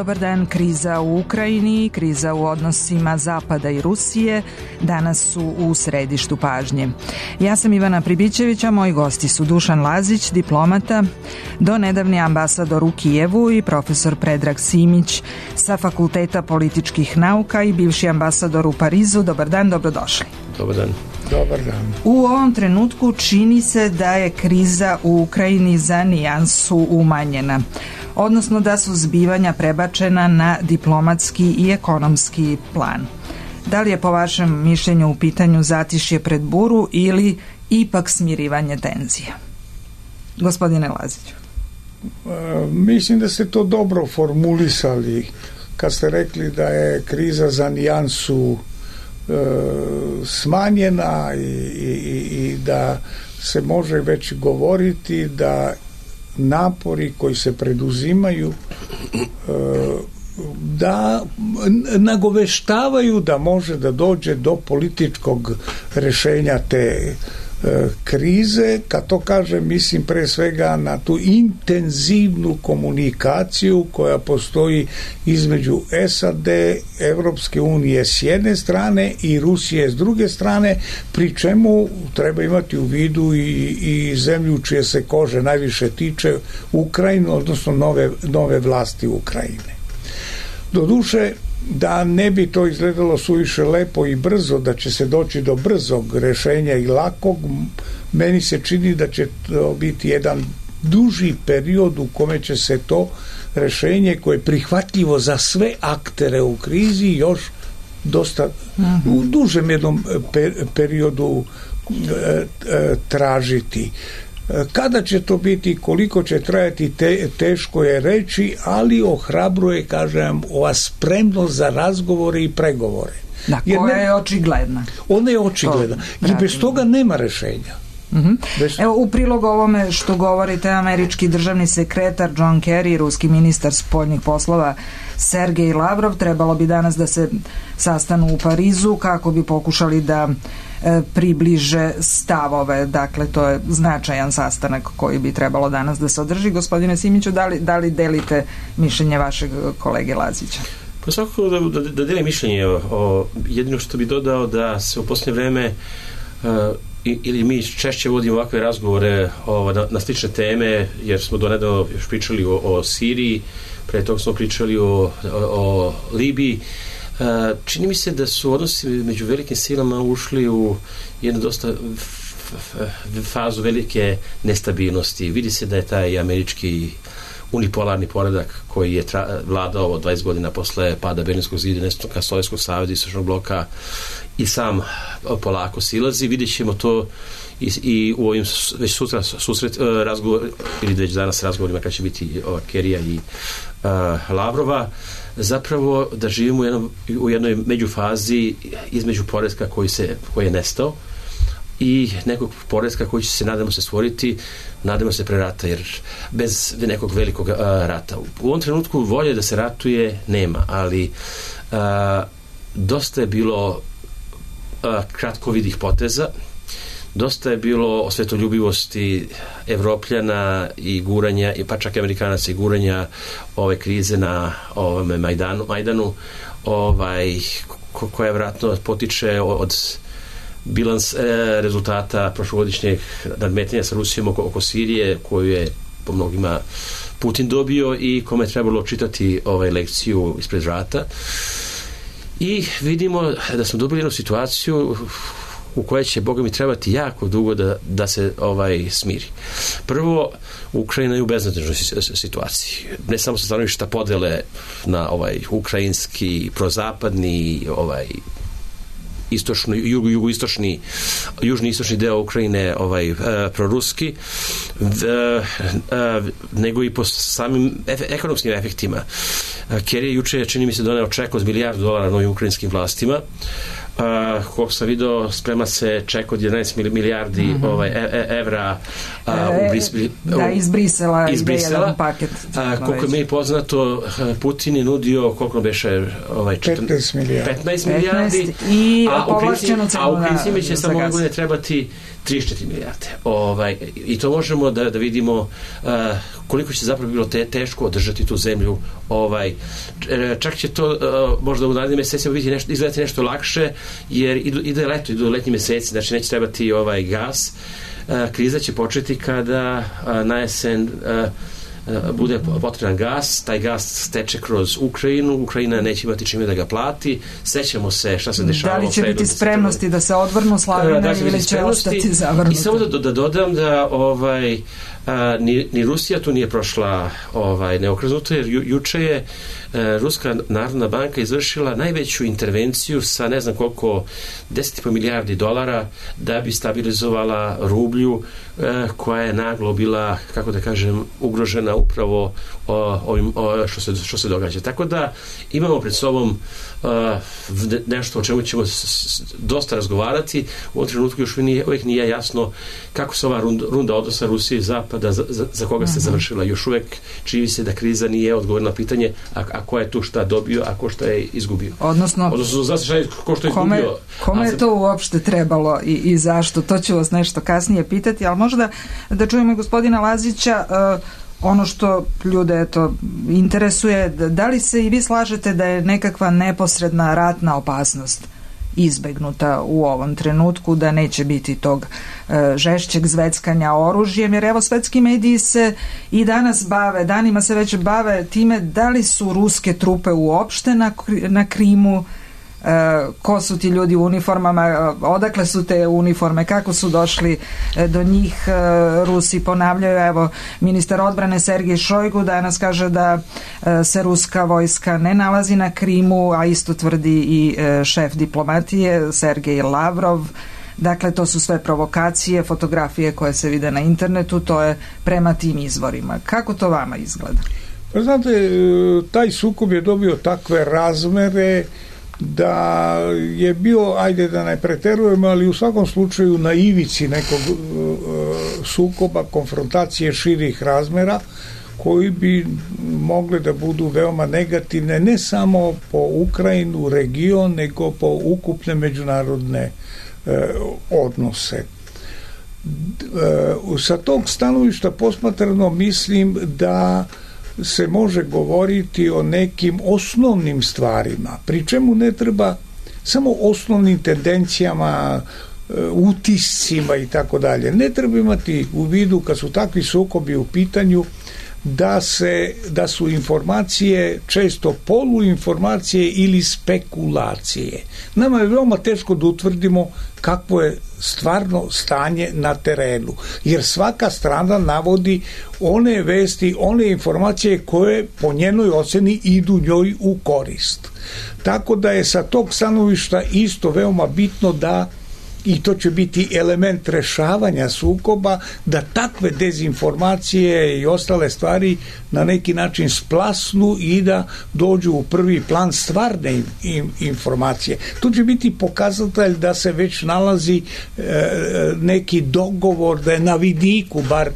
Dobar dan. Kriza u Ukrajini, kriza u odnosima Zapada i Rusije danas su u središtu pažnje. Ja sam Ivana Pribićević, a moji gosti su Dušan Lazić, diplomata, donedavni ambasador u Kijevu i profesor Predrag Simić sa Fakulteta političkih nauka i bivši ambasador u Parizu. Dobar dan, dobrodošli. Dobar dan. Dobar dan. U ovom trenutku čini se da je kriza u Ukrajini za nijansu umanjena, odnosno da su zbivanja prebačena na diplomatski i ekonomski plan. Da li je po vašem mišljenju u pitanju zatišje pred buru ili ipak smirivanje tenzija? Gospodine Laziću. Mislim da ste to dobro formulisali kad ste rekli da je kriza za nijansu smanjena i da se može već govoriti da napori koji se preduzimaju da nagoveštavaju da može da dođe do političkog rješenja te krize. Kad to kažem, mislim pre svega na tu intenzivnu komunikaciju koja postoji između SAD, Evropske unije s jedne strane i Rusije s druge strane, pri čemu treba imati u vidu i zemlju čije se kože najviše tiče, Ukrajinu, odnosno nove vlasti Ukrajine. Doduše, da ne bi to izgledalo suviše lepo i brzo, da će se doći do brzog rješenja i lakog, meni se čini da će to biti jedan duži period u kome će se to rješenje, koje je prihvatljivo za sve aktere u krizi, još dosta u dužem jednom periodu tražiti. Kada će to biti, koliko će trajati, teško je reći, ali ohrabruje, kažem, ova spremnost za razgovore i pregovore. Da, koja je očigledna. Ona je očigledna. I bez toga nema rješenja. Evo, u prilog ovome što govorite, američki državni sekretar John Kerry, ruski ministar spoljnih poslova Sergej Lavrov trebalo bi danas da se sastanu u Parizu kako bi pokušali da približe stavove. Dakle, to je značajan sastanak koji bi trebalo danas da se održi. Gospodine Simiću, da li delite mišljenje vašeg kolege Lazića? Pa svakako da delim mišljenje. Jedino što bi dodao da se u posljednje vreme ili mi češće vodimo ovakve razgovore na slične teme, jer smo donedavno još pričali o Siriji, pre toga smo pričali o Libiji. Čini mi se da su odnosi među velikim silama ušli u jednu dosta fazu velike nestabilnosti. Vidi se da je taj američki unipolarni poredak koji je vladao 20 godina posle pada Berlinskog zida, nestanka Sovjetskog saveza i Istočnog bloka, i sam polako silazi. Vidjet ćemo to i u ovim već sutra razgovor, ili već danas razgovorima kad će biti Kerija i Lavrova, zapravo da živimo u jednoj međufazi između poretka koji je nestao i nekog poretka koji će se, nadamo se, stvoriti, nadamo se, pre rata, jer bez nekog velikog rata. U ovom trenutku volje da se ratuje nema, ali dosta je bilo kratkovidih poteza, dosta je bilo osvetoljubivosti Evropljana i guranja, pa čak i Amerikanaca, i guranja ove krize na ovome Majdanu, koja vjerojatno potiče od bilans rezultata prošlogodišnjeg nadmetanja sa Rusijom oko Sirije, koju je po mnogima Putin dobio i kome je trebalo čitati lekciju ispred vrata. I vidimo da smo dobili jednu situaciju u kojoj će, Boga mi, trebati jako dugo da se smiri. Prvo, Ukrajina je u beznadežnoj situaciji. Ne samo sa stanovišta podele na ukrajinski, prozapadni, istočni, jugoistočni, južni istočni deo Ukrajine, proruski, nego i po samim ekonomskim efektima. Kerry juče, čini mi se, doneo ček od $1 milijardu novim ukrajinskim vlastima, koliko sam vidio, sprema se ček od 11 milijardi evra iz Brisela ide jedan paket. Koliko je meni poznato, Putin je nudio koliko beše 15 milijardi i povlašćenu cenu a u principu će samo godine trebati 34 milijarde. I to možemo da vidimo koliko će zapravo bilo teško održati tu zemlju. Čak će to možda u narednim mesecima izgledati nešto lakše, jer ide leto, idu letnji meseci, znači neće trebati gas. Kriza će početi kada na jesen bude potreban gas, taj gas steče kroz Ukrajinu, Ukrajina neće imati čime da ga plati, sećamo se šta se dešavalo. Da li će biti spremnosti da se odvrnu slavine ili će ostati zavrnuti? I samo da dodam da ni Rusija tu nije prošla neokrznuto, jer juče je Ruska narodna banka izvršila najveću intervenciju sa ne znam koliko 10,5 milijardi dolara da bi stabilizovala rublju koja je naglo bila, kako da kažem, ugrožena upravo ovim što se događa. Tako da imamo pred sobom nešto o čemu ćemo dosta razgovarati. U ovom trenutku još uvijek nije jasno kako se ova runda odnosa Rusije i Zapada za koga se završila. Još uvijek čini se da kriza nije odgovor na pitanje a ko je tu šta dobio, a ko šta je izgubio. Odnosno zna se ko što je izgubio. Kome je to uopšte trebalo i zašto? To ću vas nešto kasnije pitati, ali možda da čujemo gospodina Lazića. Ono što ljude interesuje, da li se i vi slažete da je nekakva neposredna ratna opasnost izbegnuta u ovom trenutku, da neće biti tog žešćeg zveckanja oružjem, jer evo svetski mediji se i danas danima se već bave time da li su ruske trupe uopšte na Krimu, ko su ti ljudi u uniformama, odakle su te uniforme, kako su došli do njih. Rusi ponavljaju, evo ministar odbrane Sergej Šojgu danas kaže da se ruska vojska ne nalazi na Krimu, a isto tvrdi i šef diplomatije Sergej Lavrov. Dakle, to su sve provokacije, fotografije koje se vide na internetu, to je prema tim izvorima. Kako to vama izgleda? Pa znate, taj sukob je dobio takve razmere da je bio, ajde da ne preterujemo, ali u svakom slučaju na ivici nekog sukoba, konfrontacije širih razmera, koji bi mogle da budu veoma negativne, ne samo po Ukrajinu, region, nego po ukupne međunarodne odnose. Sa tog stanovišta posmatrano mislim da se može govoriti o nekim osnovnim stvarima, pri čemu ne treba samo osnovnim tendencijama, utiscima i tako dalje. Ne treba imati u vidu, kad su takvi sukobi u pitanju, da su informacije često poluinformacije ili spekulacije. Nama je veoma teško da utvrdimo kakvo je stvarno stanje na terenu, jer svaka strana navodi one vesti, one informacije koje po njenoj oceni idu njoj u korist. Tako da je sa tog stanovišta isto veoma bitno da, i to će biti element rešavanja sukoba, da takve dezinformacije i ostale stvari na neki način splasnu i da dođu u prvi plan stvarne informacije. To će biti pokazatelj da se već nalazi neki dogovor, da je na vidiku bar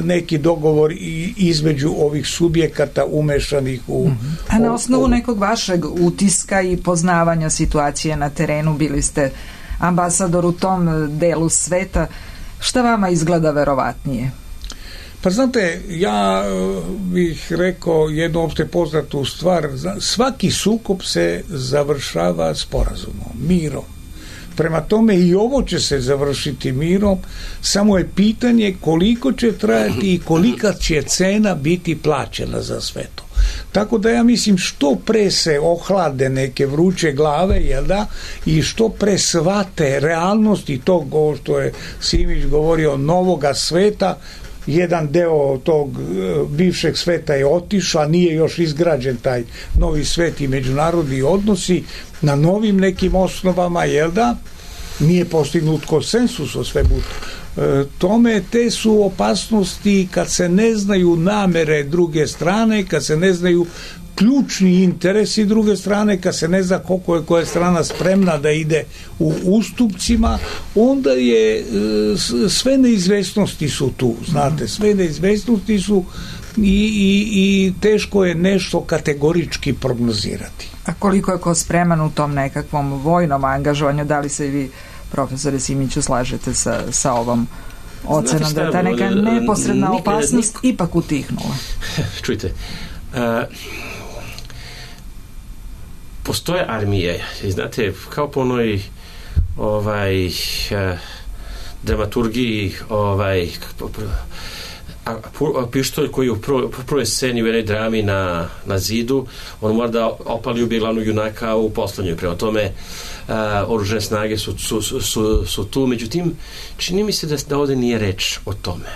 neki dogovor između ovih subjekata umešanih u... A na osnovu nekog vašeg utiska i poznavanja situacije na terenu, bili ste ambasador u tom delu sveta, šta vama izgleda verovatnije? Pa znate, ja bih rekao jednu opšte poznatu stvar, svaki sukob se završava sporazumom, mirom. Prema tome i ovo će se završiti mirom, samo je pitanje koliko će trajati i kolika će cena biti plaćena za sve to. Tako da ja mislim što pre se ohlade neke vruće glave, jel da, i što pre shvate realnosti tog, ovo što je Simić govorio, novoga sveta, jedan deo tog bivšeg sveta je otišao, nije još izgrađen taj novi svet i međunarodni odnosi na novim nekim osnovama, jel da, nije postignut konsensus o svemu tome. Te su opasnosti kad se ne znaju namere druge strane, kad se ne znaju ključni interes i druge strane kad se ne zna koliko je koja strana spremna da ide u ustupcima, onda je sve neizvesnosti su tu, znate, sve neizvesnosti su i teško je nešto kategorički prognozirati. A koliko je ko spreman u tom nekakvom vojnom angažovanju? Da li se i vi, profesore Simiću, slažete sa ovom ocenom da je ta neka neposredna opasnost ipak utihnula? Čujte, postoje armije, znate, kao po onoj dramaturgiji, pištolj koji u prvoj sceni u jednoj drami na zidu, on mora da opali ubije glavnog junaka u poslednjoj. Prema tome, oružane snage su tu. Međutim, čini mi se da ovde nije reč o tome.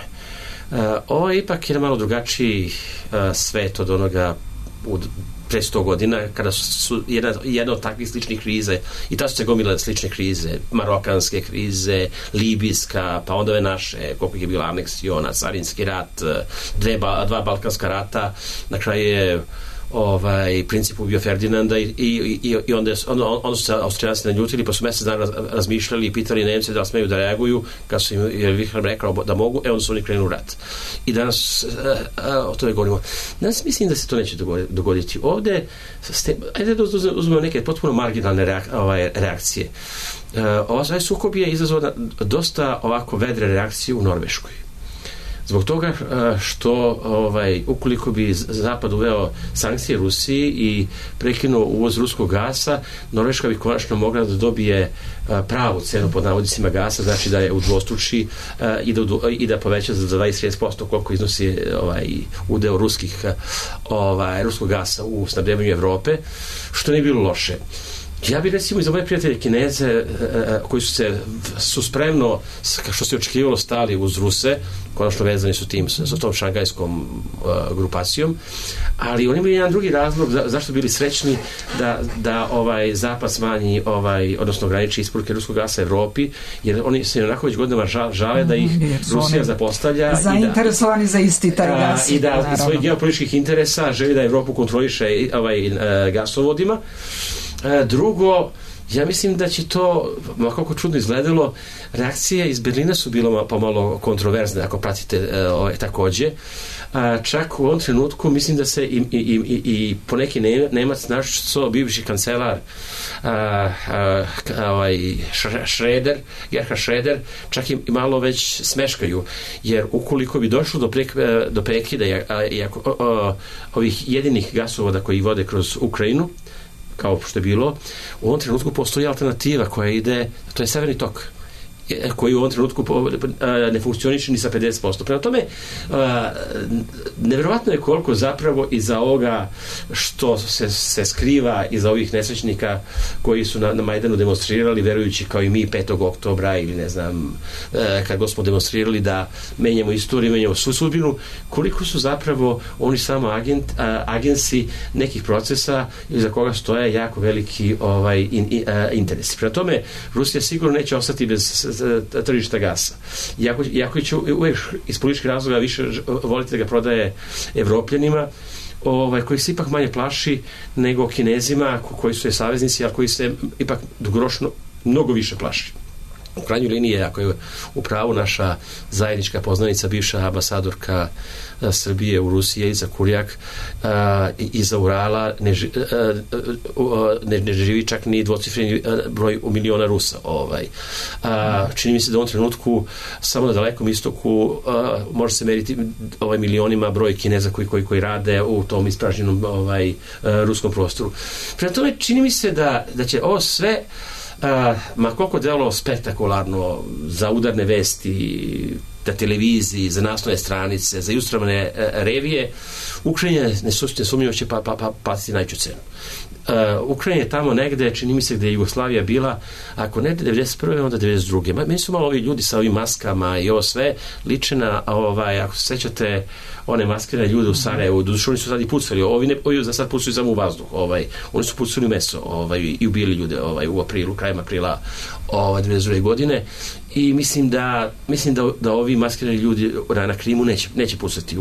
Ovo je ipak jedan malo drugačiji svet od onoga pre 100 godina, kada su jedna od takvih sličnih krize, i ta su se gomile slične krize, marokanske krize, libijska, pa onda ove naše, koliko je bila aneksiona, carinski rat, dva balkanska rata, na kraju je princip ubio Ferdinanda i onda su se Austrijanci naljutili, pa su mesec dana razmišljali i pitali Nemce da smeju da reaguju, kad su im Wilhelm rekao da mogu, onda su oni krenuli u rat. I danas o tome govorimo. Danas mislim da se to neće dogoditi. Ovde, ajde da uzmemo neke potpuno marginalne reakcije. Ovaj sukob je izazvao dosta ovako vedre reakcije u Norveškoj. Zbog toga što ukoliko bi Zapad uveo sankcije Rusiji i prekinuo uvoz ruskog gasa, Norveška bi konačno mogla da dobije pravu cenu pod navodnicima gasa, znači da je udvostruči i da poveća za 20-30% koliko iznosi udeo ruskog gasa u snabdevanju Evrope, što nije bilo loše. Ja bih recimo i za moje prijatelje Kineze koji su spremno, što se očekivalo, stali uz Ruse, konačno vezani su sa tom šangajskom grupacijom, ali oni imaju jedan drugi razlog zašto bili srećni da Zapad smanji, odnosno ograniči isporuke ruskog gasa Evropi, jer oni se onako već godinama žale da ih Rusija zapostavlja zainteresovani za isti taj gas i da iz svojih geopolitičkih interesa želi da Evropu kontroliše gasovodima. Drugo, ja mislim da će to, kako čudno izgledalo, reakcije iz Berlina su bilo pomalo kontroverzne, ako pratite takođe. Čak u ovom trenutku mislim da se i poneki Nemac, naš bivši kancelar Gerhard Schröder, čak i malo već smeškaju, jer ukoliko bi došlo do prekida ovih jedinih gasovoda koji vode kroz Ukrajinu, kao što je bilo, u ovom trenutku postoji alternativa koja ide, to je Severni tok, koji u ovom trenutku ne funkcioniše ni sa 50%. Prema tome, nevjerovatno je koliko zapravo iza ovoga što se skriva iza ovih nesrećnika koji su na Majdanu demonstrirali, verujući kao i mi 5. oktobra ili ne znam, kad god smo demonstrirali da menjamo istoriju, menjamo svu sudbinu, koliko su zapravo oni samo agensi nekih procesa iza koga stoje jako veliki interesi. Prema tome, Rusija sigurno neće ostati bez tržišta gasa. Iako će uvijek iz političkih razloga više voliti da ga prodaje Evropljanima, koji se ipak manje plaši nego Kinezima, koji su je saveznici, ali koji se ipak dugoročno mnogo više plaši. U krajnjoj liniji, ako je u pravu naša zajednička poznanica, bivša ambasadorka Srbije u Rusiji, Iza Kurjak, iza Urala ne živi čak ni dvocifreni broj u miliona Rusa. Čini mi se da u ovom trenutku samo na Dalekom istoku može se meriti milionima broj Kineza koji rade u tom ispražnjenom ruskom prostoru. Prema tome, čini mi se da će ovo sve ma koliko delo spektakularno za udarne vesti, na televiziji, za naslovne stranice, za ilustrovane revije, Ukrajina nesumnjivo će platiti najveću cenu. Ukrajina je tamo negde, čini mi se gde je Jugoslavija bila, ako ne 91. onda 92. Meni su malo ovi ljudi sa ovim maskama i ovo sve liče na, ako se sećate, one maskirane ljude u Sarajevu, doduše oni su sad i pucali, ovi za sad pucali samo u vazduh, oni su pucali u meso i ubili ljude u aprilu, krajem aprila 92. godine, i mislim da ovi maskirani ljudi na Krimu neće pucati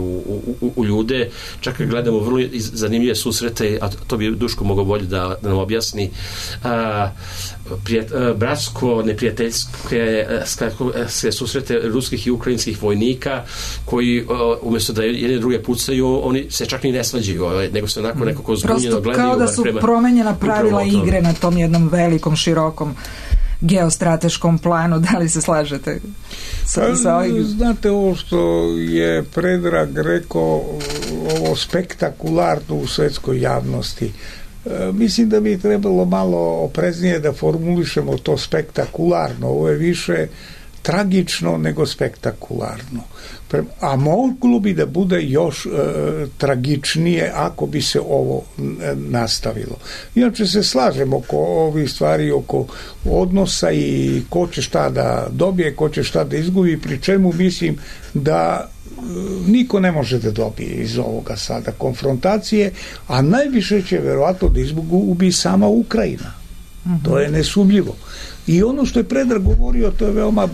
u ljude, čak i gledamo vrlo zanimljive susrete, a to bi Duško mogao bolje da nam objasni, bratsko, neprijateljske susrete ruskih i ukrajinskih vojnika koji umjesto da jedne druge pucaju, oni se čak ni ne svađaju, nego se onako nekako zbunjeno gledaju. Kao da su promenjena pravila igre na tom jednom velikom, širokom geostrateškom planu. Da li se slažete sa ovim? Znate, ovo što je Predrag rekao, ovo spektakularno u svetskoj javnosti, mislim da bi trebalo malo opreznije da formulišemo to spektakularno. Ovo je više tragično nego spektakularno. A moglo bi da bude još tragičnije ako bi se ovo nastavilo. Inače se slažemo oko ovih stvari, oko odnosa i ko će šta da dobije, ko će šta da izgubi, pri čemu mislim da niko ne može da dobije iz ovoga sada konfrontacije, a najviše će verovatno da izgubi sama Ukrajina. To je nesumljivo. I ono što je Predrag govorio, to je veoma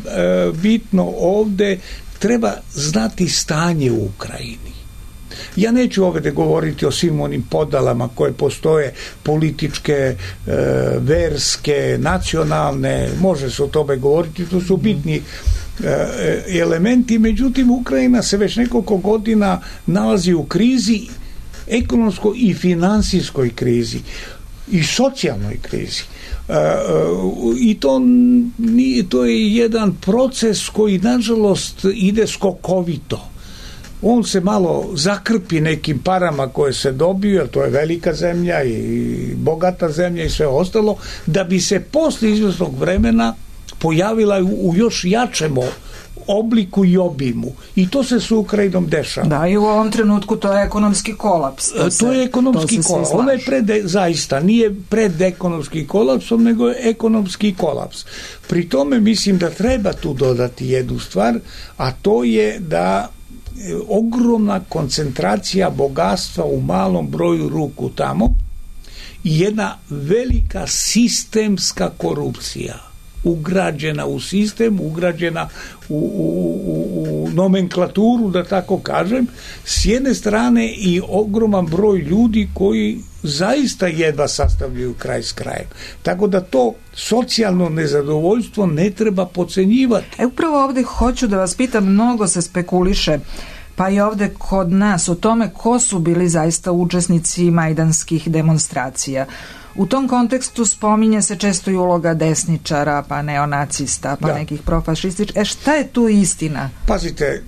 bitno ovde, treba znati stanje u Ukrajini. Ja neću ovdje govoriti o svim onim podalama koje postoje, političke, verske, nacionalne, može se o tome govoriti, to su bitni elementi, međutim Ukrajina se već nekoliko godina nalazi u krizi, ekonomskoj i finansijskoj krizi i socijalnoj krizi. I to je jedan proces koji nažalost ide skokovito. On se malo zakrpi nekim parama koje se dobiju, jer to je velika zemlja i bogata zemlja i sve ostalo, da bi se posle izvesnog vremena pojavila u još jačem obliku i obimu. I to se s Ukrajinom dešava. Da, i u ovom trenutku to je ekonomski kolaps. To je ekonomski kolaps. Ono je zaista nije pred ekonomskim kolapsom, nego je ekonomski kolaps. Pri tome mislim da treba tu dodati jednu stvar, a to je da ogromna koncentracija bogatstva u malom broju ruku tamo i jedna velika sistemska korupcija ugrađena u sistem, ugrađena u nomenklaturu, da tako kažem, s jedne strane i ogroman broj ljudi koji zaista jedva sastavljaju kraj s krajem. Tako da to socijalno nezadovoljstvo ne treba podcenjivati. Upravo ovdje hoću da vas pitam, mnogo se spekuliše, pa i ovdje kod nas, o tome ko su bili zaista učesnici majdanskih demonstracija. U tom kontekstu spominje se često i uloga desničara, pa neonacista, pa nekih profašističkih. Šta je tu istina? Pazite,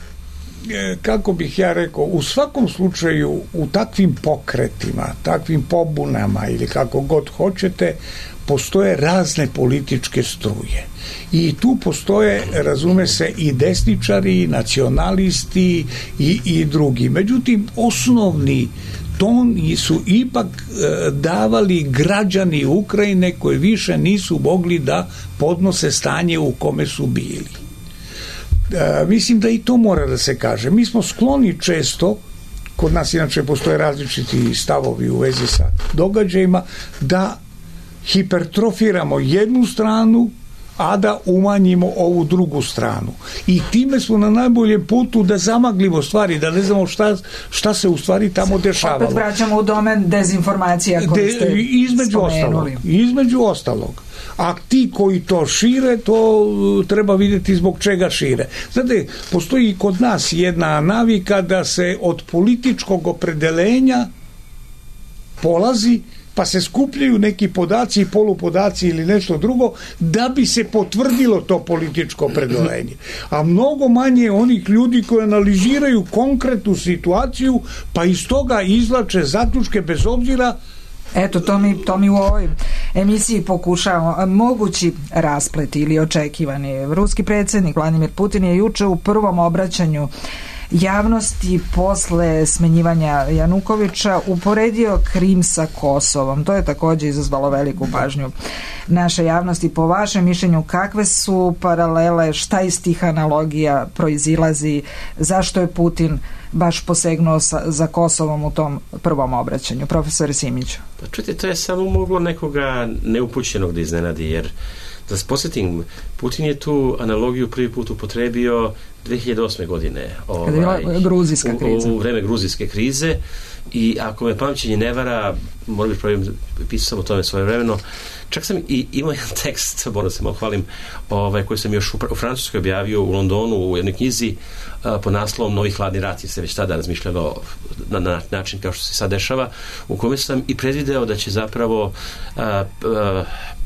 kako bih ja rekao, u svakom slučaju u takvim pokretima, takvim pobunama ili kako god hoćete, postoje razne političke struje. I tu postoje, razume se, i desničari, i nacionalisti i drugi. Međutim, osnovni ton su ipak davali građani Ukrajine koji više nisu mogli da podnose stanje u kome su bili. Mislim da i to mora da se kaže. Mi smo skloni često, kod nas inače postoje različiti stavovi u vezi sa događajima, da hipertrofiramo jednu stranu, a da umanjimo ovu drugu stranu. I time smo na najboljem putu da zamaglimo stvari, da ne znamo šta se u stvari tamo dešavalo. Opet vraćamo u domen dezinformacija koje ste spomenuli. Između ostalog. A ti koji to šire, to treba vidjeti zbog čega šire. Znate, postoji i kod nas jedna navika da se od političkog opredelenja polazi, pa se skupljaju neki podaci i polupodaci ili nešto drugo da bi se potvrdilo to političko opredeljenje. A mnogo manje onih ljudi koji analiziraju konkretnu situaciju, pa iz toga izvlače zaključke bez obzira. Eto, to mi u ovoj emisiji pokušavamo. Mogući rasplet ili očekivani. Ruski predsjednik Vladimir Putin je juče u prvom obraćanju javnosti posle smenjivanja Janukovića uporedio Krim sa Kosovom. To je takođe izazvalo veliku pažnju naše javnosti. Po vašem mišljenju, kakve su paralele, šta iz tih analogija proizilazi, zašto je Putin baš posegnuo za Kosovom u tom prvom obraćanju? Profesore Simiću. Pa čujte, to je samo moglo nekoga neupućenog da iznenadi, jer da se posjetim, Putin je tu analogiju prvi put upotrebio 2008. godine. Kada je bila gruzijska kriza. U vreme gruzijske krize, i ako me pamćenje ne vara, moram biti pravim, pisao sam o tome svojevremeno, čak sam i imao jedan tekst, moram se malo hvalim, koji sam još u Francuskoj objavio u Londonu u jednoj knjizi pod naslovom Novi hladni rat, jer se već tada razmišljalo na način kao što se sad dešava, u kome sam i predvideo da će zapravo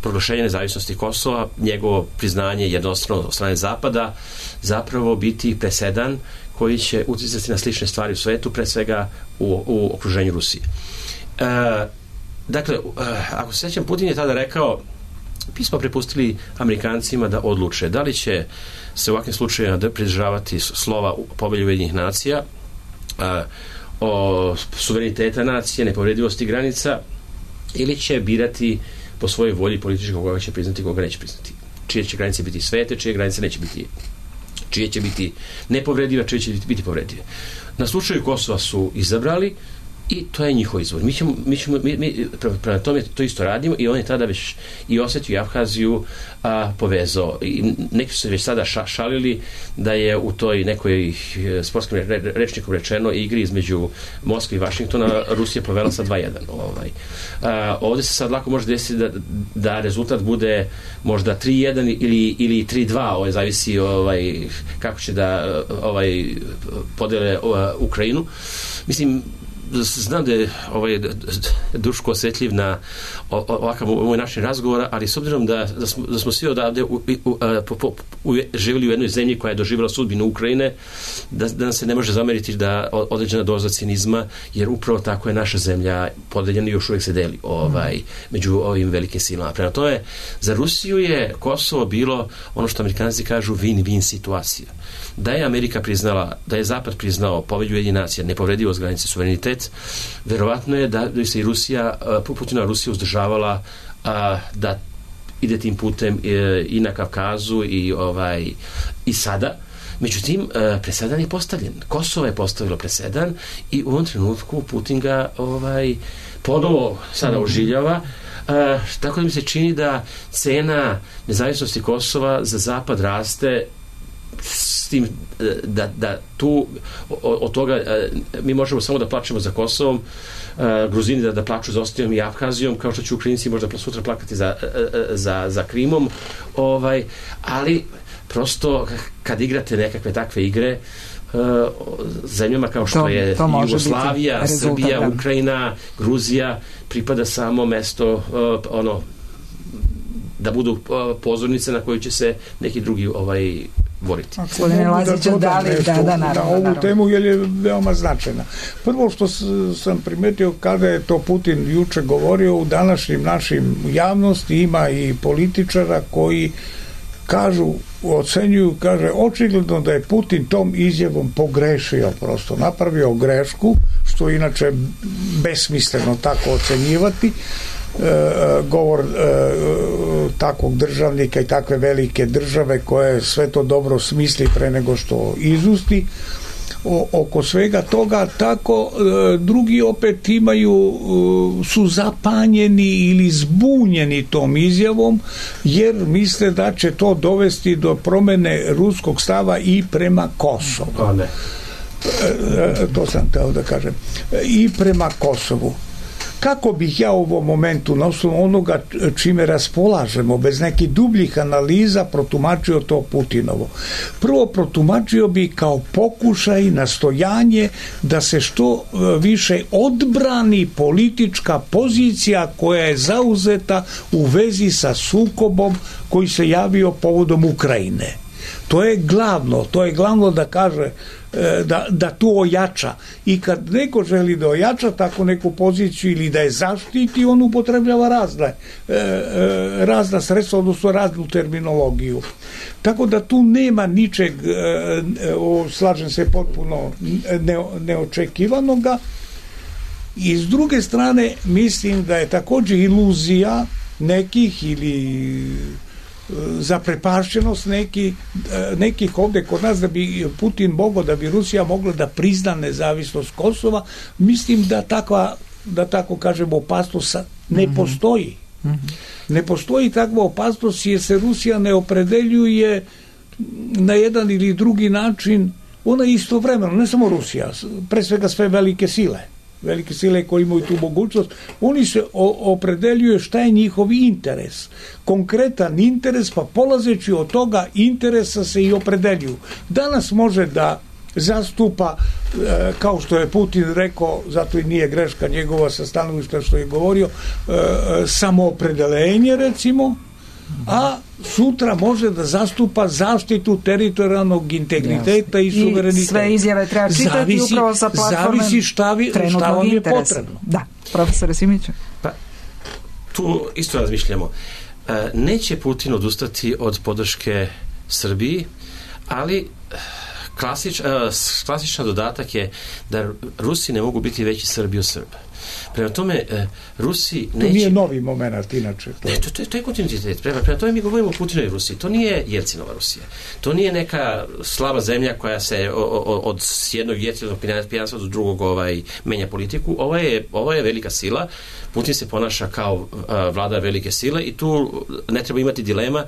proglašenje nezavisnosti Kosova, njegovo priznanje jednostrano od strane Zapada, zapravo biti presedan koji će uticati na slične stvari u svetu, pre svega u okruženju Rusije. Dakle, ako se sjećam, Putin je tada rekao, mi smo prepustili Amerikancima da odluče da li će se u ovakvim slučajevima pridržavati slova Povelje Ujedinjenih nacija, o suvereniteta nacije, nepovredivosti granica, ili će birati po svojoj volji političkog koga će priznati, koga neće priznati. Čije će granice biti svete, čije granice neće biti, čije će biti nepovredive, čije će biti povredive. Na slučaju Kosova su izabrali i to je njihov izvor. Mi prema tome to isto radimo, i on je tada već i Osetiju i Abhaziju povezao. I neki su se već sada šalili da je u toj nekoj sportskim rečnikom rečeno igri između Moskve i Vašingtona Rusija povela sa 2-1. Ovdje se sad lako može desiti da rezultat bude možda 3-1 ili 3-2, zavisi kako će da podele Ukrajinu. Mislim, znam da je Duško osjetljiv na ovakav moj način razgovora, ali s obzirom da smo svi odavde živjeli u jednoj zemlji koja je doživjela sudbinu Ukrajine, da nam se ne može zameriti da određena doza cinizma, jer upravo tako je naša zemlja podeljena i još uvijek se deli među ovim velikim silama. Prema tome, za Rusiju je Kosovo bilo ono što Amerikanci kažu win-win situacija. Da je Amerika priznala, da je Zapad priznao Povelju Ujedinjenih nacija, nepovredivost granice, suverenitet, verovatno je da se i Rusija, Putina Rusija uzdržavala da ide tim putem i na Kavkazu i sada. Međutim, presedan je postavljen. Kosovo je postavilo presedan i u ovom trenutku Putin ga ponovo sada oživljava. Tako da mi se čini da cena nezavisnosti Kosova za Zapad raste, s tim da tu od toga mi možemo samo da plačemo za Kosovom, Gruzini da plaču za Osetijom i Abhazijom, kao što će Ukrajinci možda sutra plakati za Krimom, ali prosto kad igrate nekakve takve igre zemljama kao što je Jugoslavija, Srbija, Ukrajina, Gruzija, pripada samo mesto da budu pozornice na koju će se neki drugi boriti. Gospodine Laziću, na ovu temu, jer je veoma značajna. Prvo što sam primetio, kada je to Putin juče govorio, u današnjim našim javnosti ima i političara koji ocenjuju, kaže, očigledno da je Putin tom izjavom pogrešio, prosto napravio grešku, što inače besmisleno tako ocenjivati, govor takvog državnika i takve velike države koje sve to dobro smisli pre nego što izusti oko svega toga. Tako drugi opet su zapanjeni ili zbunjeni tom izjavom, jer misle da će to dovesti do promene ruskog stava i prema Kosovu. To sam teo da kažem. I prema Kosovu. Kako bih ja u ovom momentu, na osnovu onoga čime raspolažemo, bez nekih dubljih analiza, protumačio to Putinovo? Prvo, protumačio bi kao pokušaj, nastojanje da se što više odbrani politička pozicija koja je zauzeta u vezi sa sukobom koji se javio povodom Ukrajine. To je glavno da kaže da to ojača. I kad neko želi da ojača takvu neku poziciju ili da je zaštiti, on upotrebljava razna sredstva, odnosno raznu terminologiju. Tako da tu nema ničeg, slažem se, potpuno neočekivanoga. I s druge strane mislim da je također iluzija nekih ili zaprepašćenost nekih ovdje kod nas da bi Putin mogao, da bi Rusija mogla da prizna nezavisnost Kosova. Mislim da tako kažemo opasnost ne postoji. Ne postoji takva opasnost jer se Rusija ne opredeljuje na jedan ili drugi način. Ona istovremeno, ne samo Rusija, pre svega sve velike sile koje imaju tu mogućnost, oni se opredeljuje šta je njihov interes. Konkretan interes, pa polazeći od toga interesa se i opredeljuju. Danas može da zastupa, kao što je Putin rekao, zato i nije greška njegova sa stanovišta što je govorio, samoopredelenje recimo, a sutra može da zastupa zaštitu teritorijalnog integriteta i suvereniteta. I sve izjave treba čitati upravo sa platforme zavisi šta vam je potrebno. Da, profesore Simiću. Pa, tu isto razmišljamo. Neće Putin odustati od podrške Srbiji, ali klasičan dodatak je da Rusi ne mogu biti veći Srbi od Srba. Prema tome, Rusi neće... To nije novi moment, inače. To je kontinuitet. Prema tome mi govorimo o Putinu i Rusiji. To nije Jelcinova Rusija. To nije neka slaba zemlja koja se od jednog Jelcinovog pijanstva do drugog menja politiku. Ovo je velika sila. Putin se ponaša kao vladar velike sile i tu ne treba imati dilema.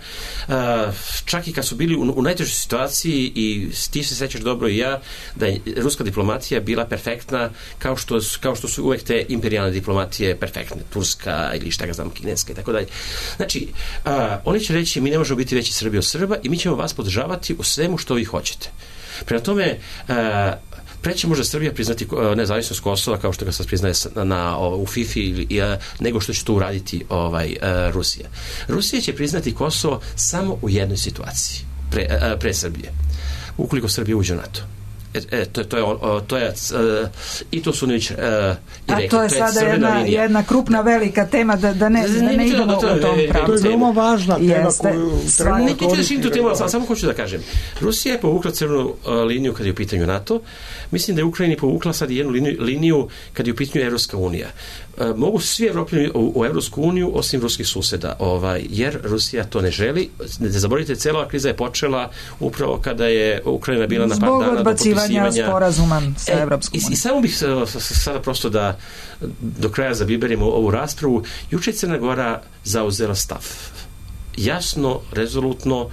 Čak i kad su bili u najtežoj situaciji, i ti se sećaš dobro i ja, da je ruska diplomatija bila perfektna kao što su uvek te imperijalne diplomatije perfektne, turska ili šta ga znam, kineska i tako dalje. Znači, oni će reći mi ne možemo biti veći Srbi od Srba i mi ćemo vas podržavati u svemu što vi hoćete. Prema tome, preće može Srbija priznati nezavisnost Kosova kao što ga sad priznaje u FIFA nego što će to uraditi Rusija. Rusija će priznati Kosovo samo u jednoj situaciji pre Srbije. Ukoliko Srbija uđe u NATO. I to su već rekli. To je sada jedna krupna velika tema da ne idemo u tom pravcu. To je veoma važna tema koju samo hoću da kažem. Rusija je povukla crvenu liniju kad je u pitanju NATO. Mislim da je Ukrajini povukla sad jednu liniju kad je u pitanju Evropska unija. Mogu svi Evropljani u Evropsku uniju osim ruskih suseda, jer Rusija to ne želi. Ne zaboravite, cela kriza je počela upravo kada je Ukrajina bila na par dana do potpisivanja sporazuma sa Evropskom unijom. I samo bih sada prosto da do kraja zabiberimo ovu raspravu. Juče Crna Gora zauzela stav. Jasno, rezolutno,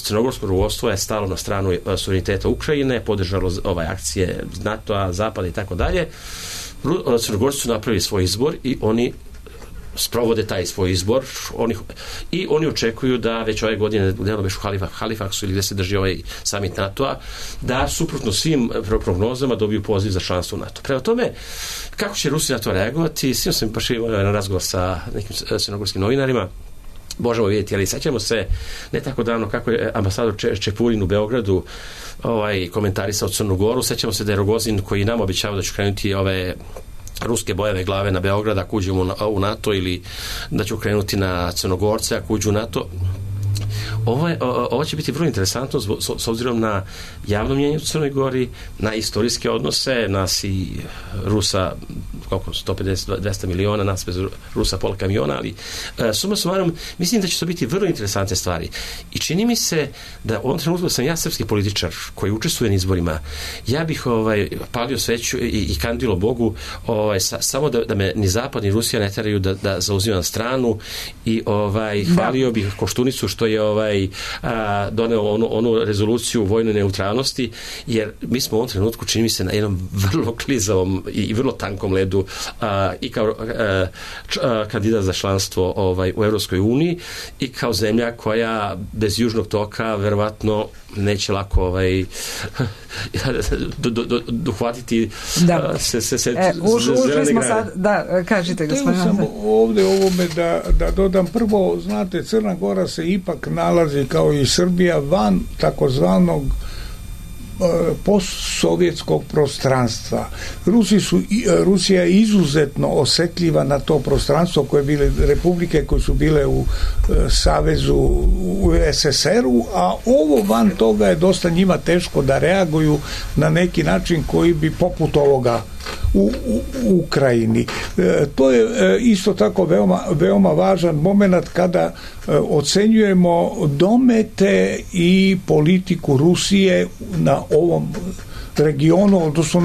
crnogorsko rukovodstvo je stalo na stranu suvereniteta Ukrajine, podržalo akcije NATO-a, Zapada i tako dalje. Crnogorci su napravili svoj izbor i oni sprovode taj svoj izbor i oni očekuju da već ove godine u Halifaksu ili gde se drži ovaj summit NATO-a, da suprotno svim prognozama dobiju poziv za članstvo u NATO. Prema tome, kako će Rusi na to reagovati? Sino sam baš imao na razgovor sa nekim crnogorskim novinarima, možemo vidjeti, ali sećamo se ne tako davno kako je ambasador Čepurin u Beogradu komentarisao Crnu Goru. Sećamo se da je Rogozin, koji nam obećava da će krenuti ove ruske bojeve glave na Beograd ako uđemo u NATO, ili da će krenuti na Crnogorce ako uđu u NATO. Ovo će biti vrlo interesantno s obzirom na javno mnjenje u Crnoj Gori, na istorijske odnose, nas i Rusa koliko, 150-200 miliona, nas bez Rusa pola kamiona, ali suma sumarum, mislim da će to biti vrlo interesantne stvari. I čini mi se da u ovom trenutku sam ja srpski političar koji učestvuje na izborima, ja bih palio sveću i kandilo Bogu samo da me ni Zapad ni Rusija ne teraju da zauzimam stranu i hvalio bih Koštunicu što je doneo onu rezoluciju vojnoj neutralnosti, jer mi smo u ovom trenutku, čini mi se, na jednom vrlo klizavom i vrlo tankom ledu i kao kandidat za članstvo u Evropskoj uniji i kao zemlja koja bez južnog toka verovatno neće lako dohvatiti ušli smo sad, da, kažite gospodine. Htio sam ovdje ovome da dodam, prvo, znate, Crna Gora se ipak nalazi kao i Srbija van takozvanog postsovjetskog prostranstva. Rusija je izuzetno osjetljiva na to prostranstvo koje bile republike koje su bile u savezu u SSR-u, a ovo van toga je dosta njima teško da reaguju na neki način koji bi poput ovoga u Ukrajini. To je isto tako veoma važan moment kada ocenjujemo domete i politiku Rusije na ovom regionu, odnosno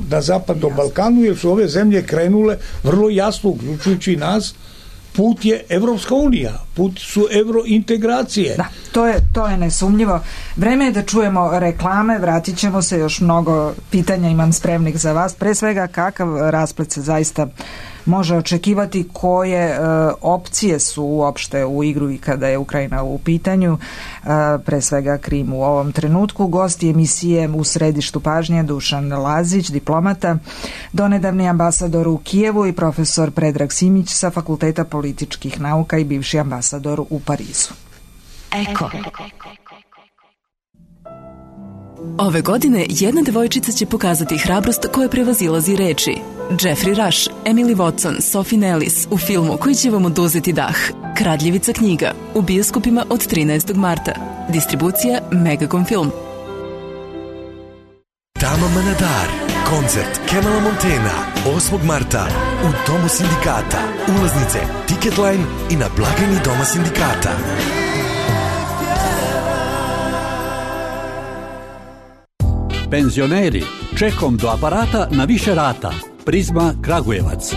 na zapadnom Balkanu, jer su ove zemlje krenule vrlo jasno, uključujući nas, put je Evropska unija, put su eurointegracije. Da, to je nesumnjivo. Vreme je da čujemo reklame, vratit ćemo se, još mnogo pitanja imam spremnih za vas. Pre svega, kakav rasplet se zaista može očekivati, koje opcije su uopšte u igru i kada je Ukrajina u pitanju, pre svega Krim u ovom trenutku. Gosti emisije u središtu pažnje Dušan Lazić, diplomata, donedavni ambasador u Kijevu, i profesor Predrag Simić sa Fakulteta političkih nauka i bivši ambasador u Parizu. Eko. Ove godine jedna devojčica će pokazati hrabrost koja prevazilazi reči. Jeffrey Rush, Emily Watson, Sophie Nellis u filmu koji će vam oduzeti dah. Kradljivica knjiga u bioskopima od 13. marta. Distribucija Megacom Film. Tama Manadar, koncert Kemala Montena, 8. marta u Domu sindikata. Ulaznice Ticketline i na blagajni Doma sindikata. Penzioneri, čekom do aparata na više rata. Prizma Kragujevac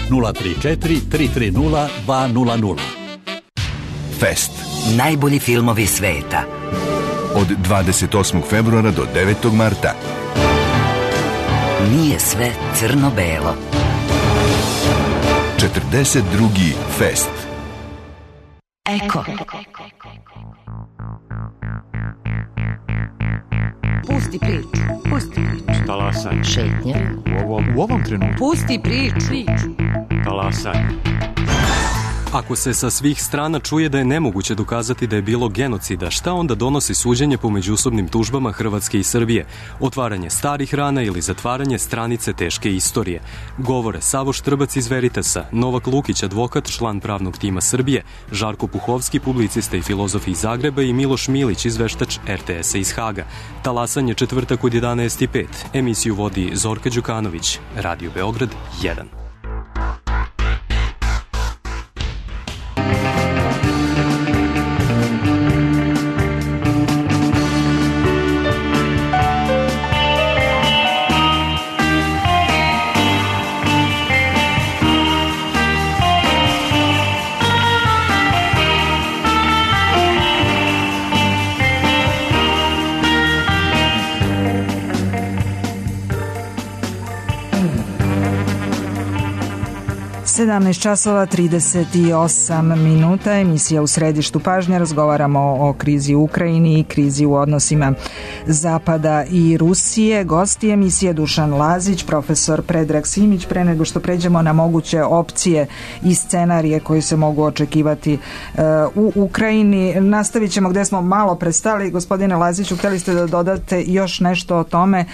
034 330 200. Fest. Najbolji filmovi sveta. Od 28. februara do 9. marta. Nije sve crno-belo. 42. Fest. Eko. Pusti priču. Talasanje. Šetnja. U ovom trenutku. Pusti priču. Talasanje. Ako se sa svih strana čuje da je nemoguće dokazati da je bilo genocida, šta onda donosi suđenje po međusobnim tužbama Hrvatske i Srbije? Otvaranje starih rana ili zatvaranje stranice teške istorije? Govore Savo Štrbac iz Veritasa, Novak Lukić, advokat, član pravnog tima Srbije, Žarko Puhovski, publicista i filozof iz Zagreba, i Miloš Milić, izveštač RTS-a iz Haga. Talasanje četvrtak od 11:05. Emisiju vodi Zorka Đukanović. Radio Beograd 1. časova 38 minuta, emisija u središtu pažnje. Razgovaramo o krizi u Ukrajini i krizi u odnosima Zapada i Rusije. Gosti emisije Dušan Lazić, profesor Predrag Simić. Pre nego što pređemo na moguće opcije i scenarije koji se mogu očekivati u Ukrajini, nastavit ćemo gde smo malo prestali. Gospodine Laziću, hteli ste da dodate još nešto o tome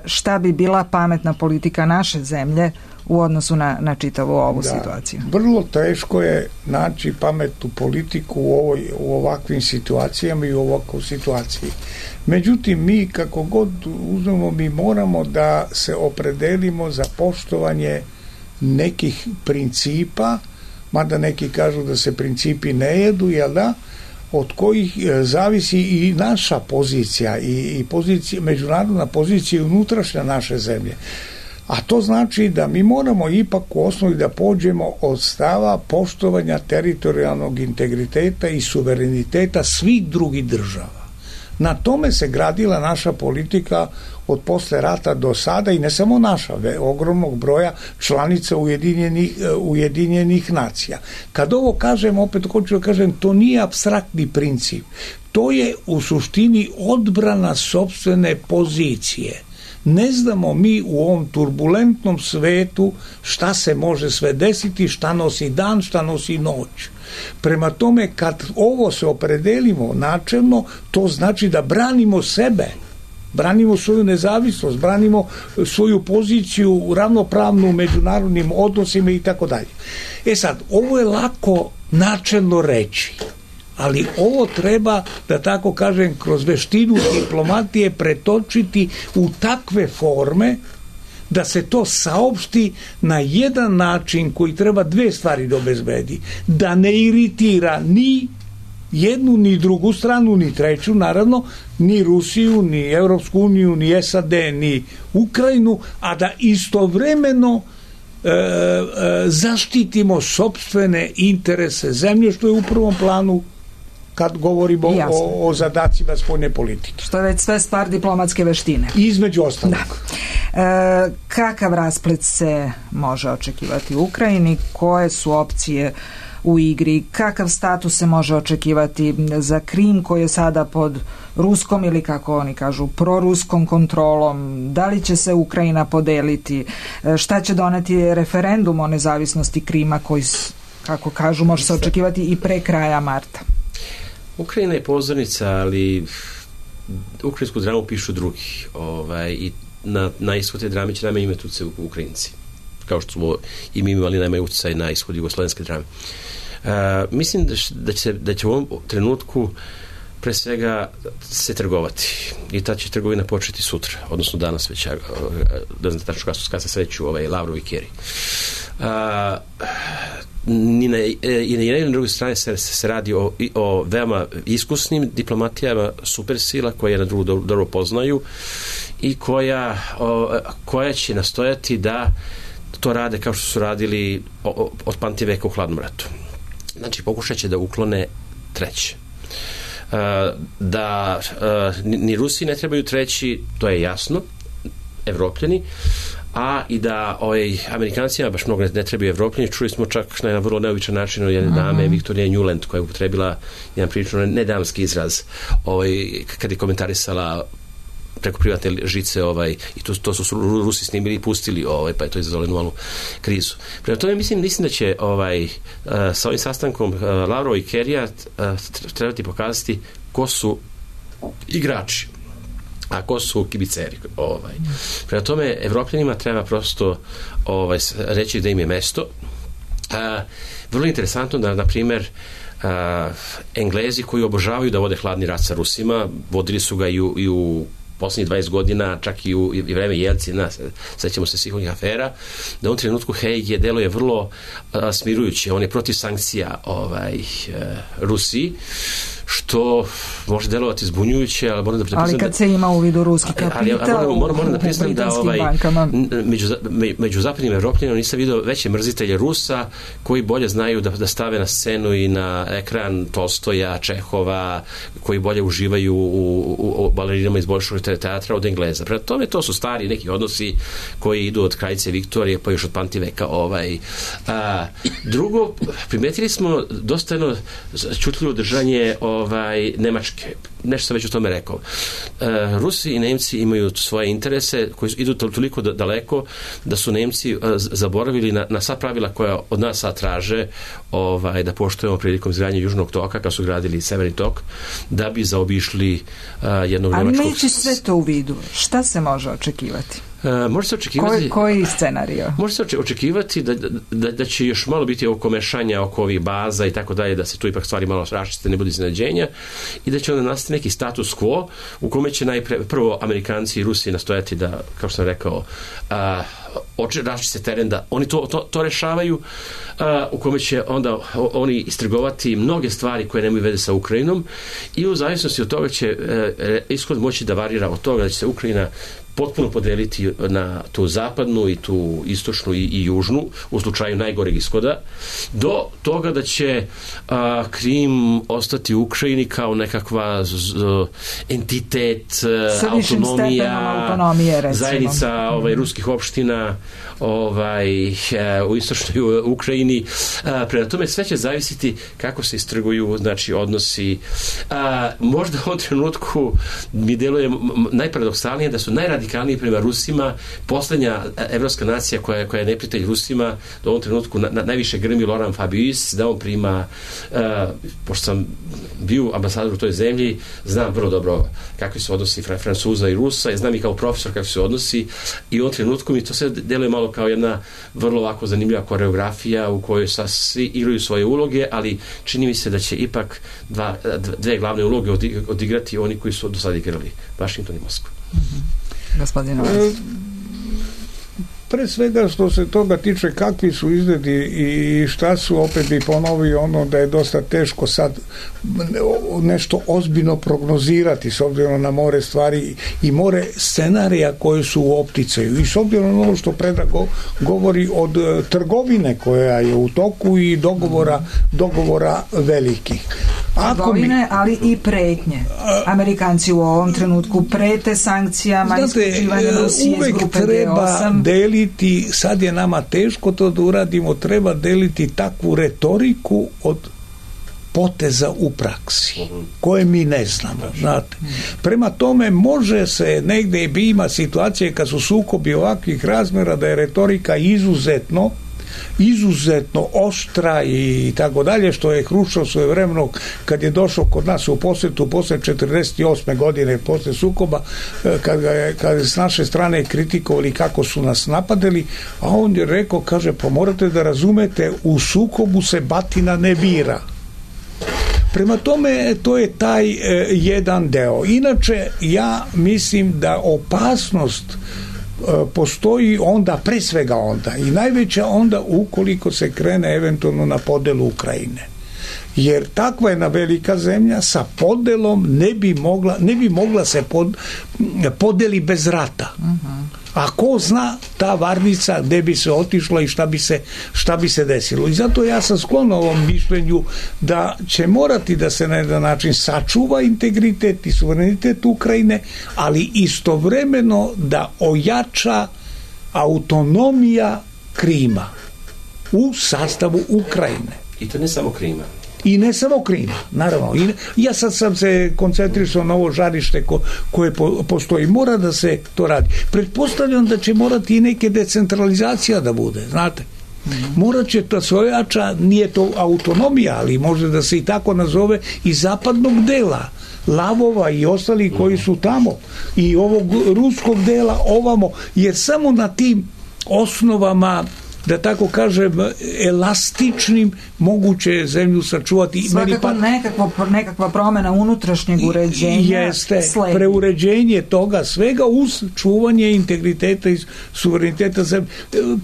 šta bi bila pametna politika naše zemlje u odnosu na čitavu ovu situaciju? Vrlo teško je naći pametnu politiku u ovakvim situacijama i u ovakvoj situaciji. Međutim, mi kako god uzmemo, mi moramo da se opredelimo za poštovanje nekih principa, mada neki kažu da se principi ne jedu, jel da? Od kojih zavisi i naša pozicija i pozicija, međunarodna pozicija i unutrašnja naše zemlje. A to znači da mi moramo ipak u osnovi da pođemo od stava poštovanja teritorijalnog integriteta i suvereniteta svih drugih država. Na tome se gradila naša politika od posle rata do sada, i ne samo naša, ogromnog broja članica Ujedinjenih nacija. Kad ovo kažem, opet hoću da kažem, to nije apstraktni princip. To je u suštini odbrana sopstvene pozicije. Ne znamo mi u ovom turbulentnom svetu šta se može sve desiti, šta nosi dan, šta nosi noć. Prema tome, kad ovo se opredelimo načelno, to znači da branimo sebe. branimo svoju nezavisnost, branimo svoju poziciju ravnopravnu u međunarodnim odnosima i tako dalje. Sad, ovo je lako načelno reći, ali ovo treba, da tako kažem, kroz veštinu diplomatije pretočiti u takve forme da se to saopšti na jedan način koji treba dve stvari da obezbedi. Da ne iritira ni jednu, ni drugu stranu, ni treću, naravno, ni Rusiju, ni Evropsku uniju, ni SAD, ni Ukrajinu, a da istovremeno zaštitimo sopstvene interese zemlje, što je u prvom planu kad govorimo o zadacima spoljne politike. Što je već sve stvar diplomatske veštine. Između ostalog. Kakav rasplet se može očekivati u Ukrajini? Koje su opcije u igri? Kakav status se može očekivati za Krim koji je sada pod ruskom ili, kako oni kažu, proruskom kontrolom? Da li će se Ukrajina podeliti? Šta će doneti referendum o nezavisnosti Krima koji, kako kažu, može se očekivati i pre kraja marta? Ukrajina je pozornica, ali ukrajinsku dramu pišu drugi. I na ishod te drame će najmanje imati utjecaj Ukrajinci. Kao što smo i mi imali najmanje utjecaj na ishod jugoslovenske drame. Mislim da će u ovom trenutku pre svega se trgovati. I ta će trgovina početi sutra, odnosno danas već, da znam tačno kada se sreću Lavrov i Kerry. I na jednoj i na drugoj strani se radi o veoma iskusnim diplomatijama supersila koje je na drugu dobro poznaju i koja će nastojati da to rade kao što su radili od pamtiveka u hladnom ratu. Znači, pokušat će da uklone treće. Da ni Rusi ne trebaju treći, to je jasno, Evropljani, a i da Amerikancima baš mnogo ne trebaju Evropljani. Čuli smo čak na jedan vrlo neobičan način od jedne dame, Viktorija Newland, koja je upotrebila jedan prilično nedamski izraz kad je komentarisala preko privatne žice i to su Rusi snimili i pustili, pa je to izazvalo jednu malu krizu. Prema tome mislim da će sa ovim sastankom Lavrova i Kerrya trebati pokazati ko su igrači, a ko su kibiceri. Prema tome, Evropljanima treba prosto reći da im je mesto. Vrlo interesantno da, na primjer, Englezi koji obožavaju da vode hladni rat sa Rusima, vodili su ga i u posljednjih 20 godina, čak i u vreme Jelcina, sećamo se svih onih afera, da u ovom trenutku Haig deluje vrlo smirujuće. On je protiv sankcija Rusiji, što može delovati zbunjujuće, ali moram da priznam... Ali kad se ima u vidu ruski kapital moram da priznam da među zapadnim Evropljanima nisam vidio veće mrzitelje Rusa koji bolje znaju da stave na scenu i na ekran Tolstoja, Čehova, koji bolje uživaju u balerinama iz Bolševog teatra od Engleza. Prema tome, to su stari neki odnosi koji idu od kraljice Viktorije pa još od pamtiveka. Drugo, primetili smo dosta jedno čutljivo držanje Nemačke. Nešto sam već o tome rekao. Rusi i Nemci imaju svoje interese koji idu toliko daleko da su Nemci zaboravili na sva pravila koja od nas sad traže da poštujemo prilikom izgradnje Južnog toka, kad su gradili Severni tok, da bi zaobišli jednog nemačkog... Ali neće sve to u vidu. Šta se može očekivati? Može se očekivati... Koji scenario? Može se očekivati da će još malo biti oko mešanja, oko ovih baza i tako dalje, da se tu ipak stvari malo raščiste, ne bude iznenađenja i da će onda nastati neki status quo u kome će prvo Amerikanci i Rusi nastojati da, kao što sam rekao, raščiste teren, da oni to rešavaju, u kome će onda oni istrgovati mnoge stvari koje nemaju veze sa Ukrajinom i u zavisnosti od toga će ishod moći da varira od toga da će se Ukrajina potpuno podeliti na tu zapadnu i tu istočnu i južnu u slučaju najgoreg ishoda, do toga da će Krim ostati u Ukrajini kao nekakva entitet, autonomija, zajednica ruskih opština u istočnoj Ukrajini. Prema tome sve će zavisiti kako se istrguju odnosi. Možda u ovom trenutku mi deluje najparadoksalnije da su najradikalnije radikalniji prema Rusima. Poslednja evropska nacija koja je neprijatelj Rusima do ovom trenutku najviše grmi Laurent Fabius, da on prima, pošto sam bio ambasador u toj zemlji, znam vrlo dobro kakvi su odnosi Francuza i Rusa, ja znam i kao profesor kakvi su odnosi, i u ovom trenutku mi to sve deluje malo kao jedna vrlo ovako zanimljiva koreografija u kojoj svi igraju svoje uloge, ali čini mi se da će ipak dve glavne uloge odigrati oni koji su do sada igrali, Vašington i Moskva. Gospodine Pre svega što se toga tiče kakvi su izgledi i šta su, opet bi ponovio ono da je dosta teško sad nešto ozbiljno prognozirati s obzirom na more stvari i more scenarija koje su u opticaju i s obzirom na ono što Predrag govori od trgovine koja je u toku i dogovora velikih. Trgovine, ali i pretnje. Amerikanci u ovom trenutku prete sankcijama, isključivanjem Rusije iz grupe G8. Treba deliti, sad je nama teško to da uradimo, treba deliti takvu retoriku od poteza u praksi, koje mi ne znamo, znate. Prema tome, može se negde ima situacije kad su sukobi ovakvih razmera da je retorika izuzetno oštra i tako dalje, što je Hruščov svojevremeno kad je došao kod nas u posetu posle 48. godine posle sukoba, kad je s naše strane kritikovali kako su nas napadali, a on je rekao, kaže, pa morate da razumete, u sukobu se batina ne bira. Prema tome, to je taj jedan deo. Inače, ja mislim da opasnost postoji onda, pre svega onda, i najveća onda ukoliko se krene eventualno na podelu Ukrajine. Jer takva jedna velika zemlja sa podelom ne bi mogla se podeli bez rata. A ko zna ta varnica gde bi se otišla i šta bi se desilo. I zato ja sam sklon ovom mišljenju da će morati da se na jedan način sačuva integritet i suverenitet Ukrajine, ali istovremeno da ojača autonomija Krima u sastavu Ukrajine. I to ne samo Krima. I ne samo Krima, naravno. Ja sad sam se koncentrisao na ovo žarište koje postoji. Mora da se to radi. Pretpostavljam da će morati i neke decentralizacija da bude, znate. Morat će to se ojača, nije to autonomija, ali može da se i tako nazove, i zapadnog dela, Lavova i ostali koji su tamo, i ovog ruskog dela ovamo, jer samo na tim osnovama, da tako kažem, elastičnim moguće zemlju sačuvati. Svakako nekakva promjena unutrašnjeg uređenja jeste preuređenje toga svega uz čuvanje integriteta i suvereniteta zemlje.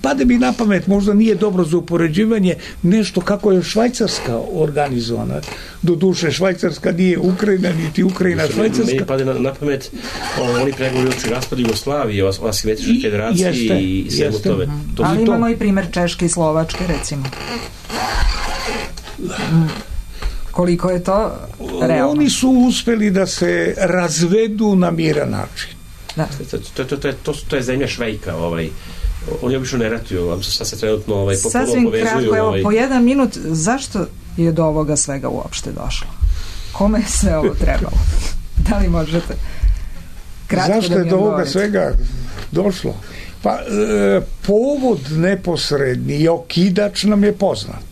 Pade mi na pamet, možda nije dobro za upoređivanje, nešto kako je Švajcarska organizovana. Doduše, Švajcarska nije Ukrajina, niti Ukrajina Švajcarska. Meni pade na pamet oni pregovori o raspadu Jugoslavije, o Asimetičkoj federaciji i svemu tome. Ali imamo i primjer Češke i Slovačke, recimo. Koliko je to realno? Oni su uspeli da se razvedu na miran način. Da. To je zemlja Švejka, oni obično ne ratuju, sad se trenutno povezuju. Sasvim kratko, evo, po 1 minut, zašto je do ovoga svega uopšte došlo? Kome je sve ovo trebalo? Da li možete kratko zašto je do ovoga svega došlo? Pa, povod neposredni i okidač nam je poznat.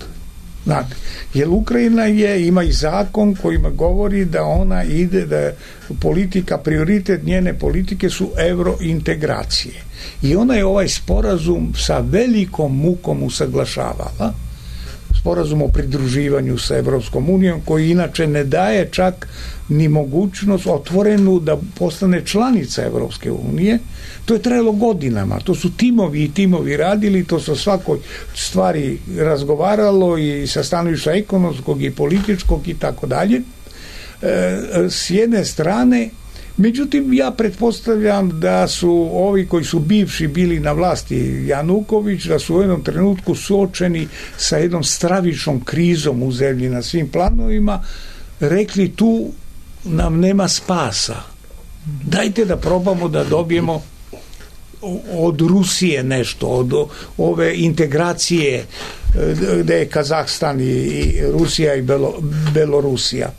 Znate, jer Ukrajina ima i zakon kojima govori da ona ide, da je politika, prioritet njene politike su eurointegracije. I ona je ovaj sporazum sa velikom mukom usaglašavala, sporazum o pridruživanju sa Evropskom unijom, koji inače ne daje čak ni mogućnost otvorenu da postane članica Evropske unije. To je trajalo godinama, to su timovi radili, to se o svakoj stvari razgovaralo i sa stanovišta ekonomskog i političkog i tako dalje. S jedne strane, međutim, ja pretpostavljam da su ovi koji su bivši bili na vlasti, Januković, da su u jednom trenutku suočeni sa jednom stravičnom krizom u zemlji na svim planovima, rekli tu nam nema spasa. Dajte da probamo da dobijemo od Rusije nešto, od ove integracije gde je Kazahstan i Rusija i Belorusija.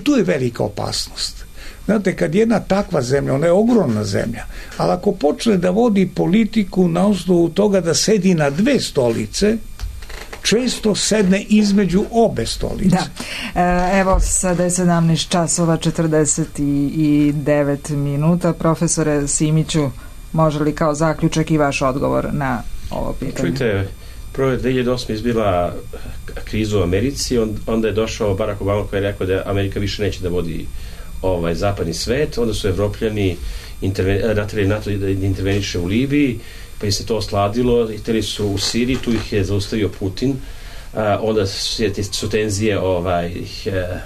Tu je velika opasnost. Znate, kad jedna takva zemlja, ona je ogromna zemlja, ali ako počne da vodi politiku na osnovu toga da sedi na dve stolice, često sedne između obe stolice. Da. Evo, sada je 17 časova 49 minuta. Profesore Simiću, može li kao zaključak i vaš odgovor na ovo pitanje? Čujte, prvo je 2008. izbila krizu u Americi, onda je došao Barack Obama koji je rekao da Amerika više neće da vodi zapadni svet, onda su Evropljani natjerali NATO da interveniše u Libiji, pa im se to osladilo, htjeli su u Siriji, tu ih je zaustavio Putin, onda su tenzije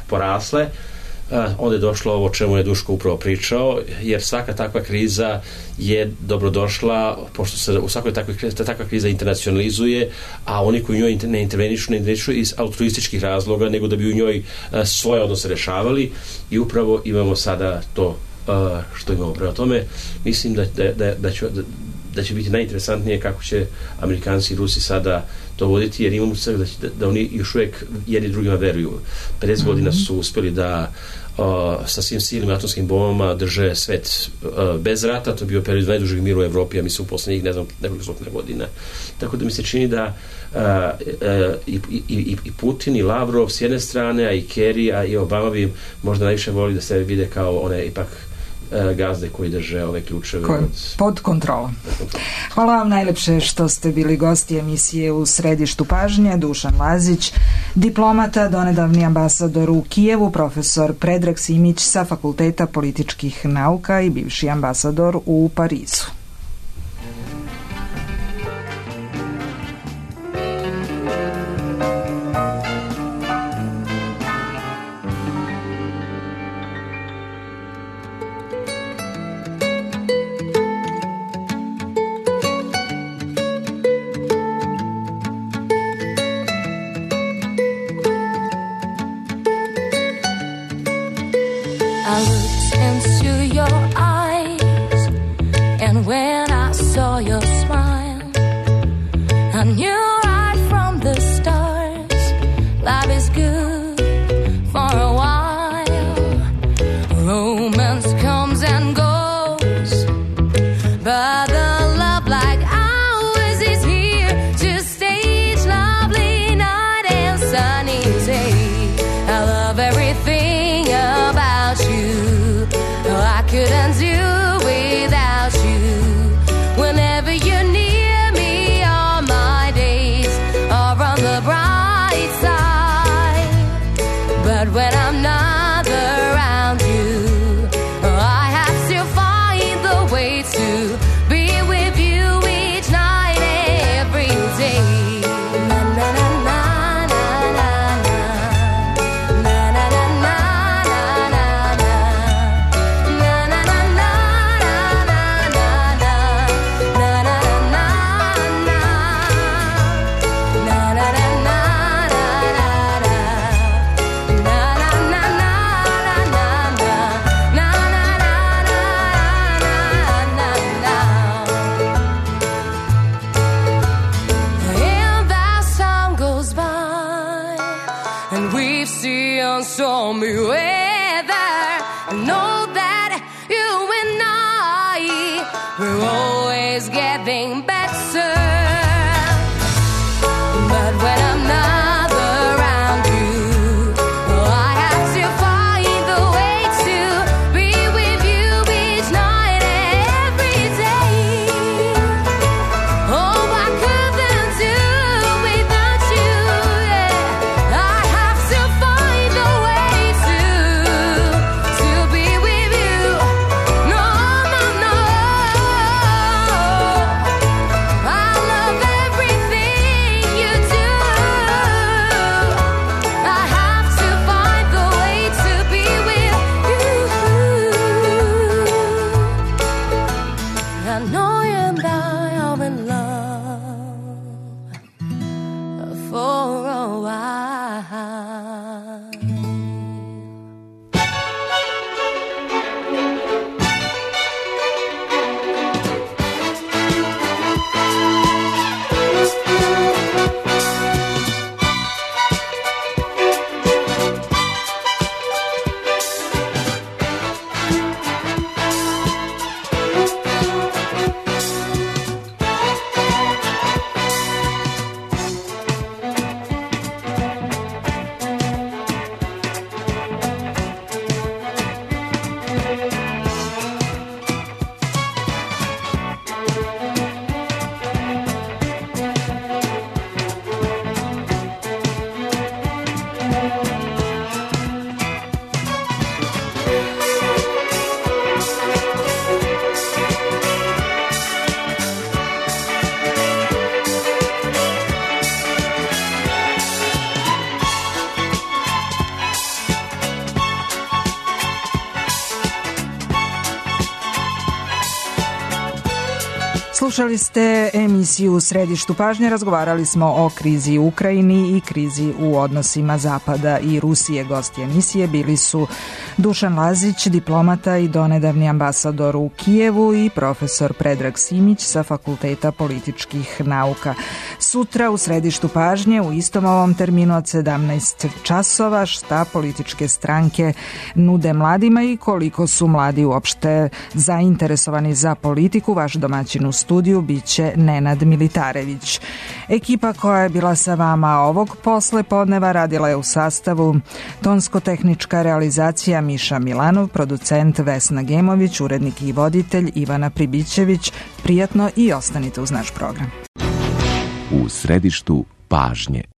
porasle, onda je došlo ovo o čemu je Duško upravo pričao, jer svaka takva kriza je dobrodošla, pošto se u svakoj takva kriza internacionalizuje, a oni koji u njoj ne intervenišu iz altruističkih razloga, nego da bi u njoj svoje odnose rešavali, i upravo imamo sada to što imamo. Prema tome, mislim da će biti najinteresantnije kako će Amerikanci i Rusi sada to voditi, jer imamo sve da oni još uvijek jedni drugima veruju. 50 godina su uspjeli da sa svim silnim atomskim bombama drže svet bez rata. To je bio period najdužeg mira u Evropi, a mislim u posljednjih, ne znam, nekoliko stotina godina. Tako da mi se čini da i Putin i Lavrov s jedne strane, a i Kerry, a i Obama bi možda najviše voli da se vide kao one ipak gazde koji drže ove ključeve pod kontrolom. Hvala vam najlepše što ste bili gosti emisije U središtu pažnje. Dušan Lazić, diplomata, donedavni ambasador u Kijevu, profesor Predrag Simić sa Fakulteta političkih nauka i bivši ambasador u Parizu. Slušali ste emisiju U središtu pažnje, razgovarali smo o krizi u Ukrajini i krizi u odnosima Zapada i Rusije. Gosti emisije bili su Dušan Lazić, diplomata i donedavni ambasador u Kijevu, i profesor Predrag Simić sa Fakulteta političkih nauka. Sutra u središtu pažnje u istom ovom terminu od 17 časova šta političke stranke nude mladima i koliko su mladi uopšte zainteresovani za politiku. Vaš domaćin u studiju biće Nenad Militarević. Ekipa koja je bila sa vama ovog posle podneva radila je u sastavu tonsko-tehnička realizacija Miša Milanov, producent Vesna Gemović, urednik i voditelj Ivana Pribićević. Prijatno i ostanite uz naš program. U središtu pažnje.